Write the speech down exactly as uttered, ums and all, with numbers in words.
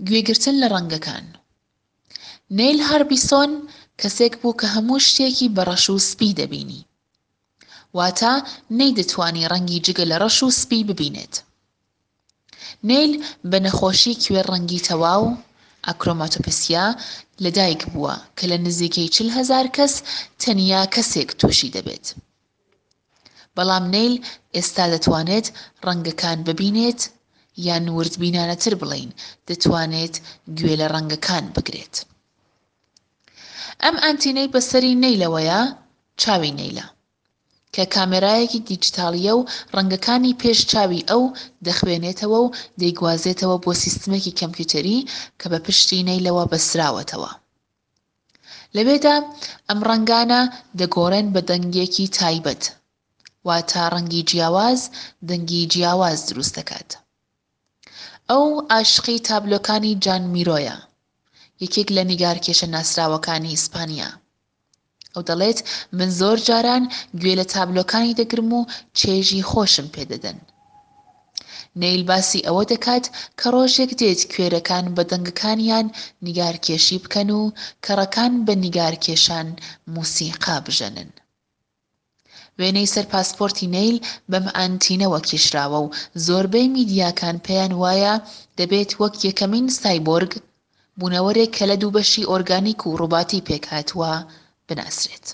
گوێگرتن لە ڕەنگەکان. نەیل هاربیسۆن کەسێک بوو کە هەموو شتێکی بە ڕەش و سپی دەبینی. واتە نەیدەتوانی ڕەنگی جگە لە ڕەش و سپی ببینێت. نەیل بە نەخۆشی کوێرڕەنگی تەواو، ئاکرۆماتۆپسیا، لەدایک بووە کە لە نزیکەی چل هەزار کەس تەنیا کەسێک تووشی دەبێت. بەڵام نەیل ئێستا دەتوانێت ڕەنگەکان ببینێت، یان وردبینانەتر بڵێین دەتوانێت گوێ لە ڕەنگەکان بگرێت. ئەم ئانتینەی بەسەری نەیلەوەیە چاوی نەیلە، کە کامێرایەکی دیجیتاڵییە و ڕەنگەکانی پێش چاوی ئەو دەخوێنێتەوە و دەیگوازێتەوە بۆ سیستمێکی کەمپیوتەری کە بە پشتی نەیلەوە بەستراوەتەوە. لەوێدا ئەم ڕەنگانە دەگۆڕێن بە دەنگێکی تایبەت، واتە ڕەنگی جیاواز دەنگی جیاواز دروست دەکات. ئەو عاشقی تابلۆکانی جان میرۆیە، یەکێک لە نیگارکێشە ناسراوەکانی ئیسپانیا. ئەو دەڵێت من زۆر جاران گوێ لە تابلۆکانی دەگرم و چێژی خۆشم پێدەدەن. نەیل باسی ئەوە دەکات کە ڕۆژێک دێت کوێرەکان بە دەنگەکانیان نیگارکێشی بکەن و کەڕەکان بە نیگارکێشان موسیقا بژەنن. وێنەی سەر پاسپۆرتی نەیل بەم ئانتینەوە کێشراوە و زۆربەی میدیاکان پێیان وایە دەبێت وەک یەکەمین سایبۆرگ، بوونەوەرێک کە لە دوو بەشی ئۆرگانیک و ڕۆباتی پێکهاتووە، بناسرێت.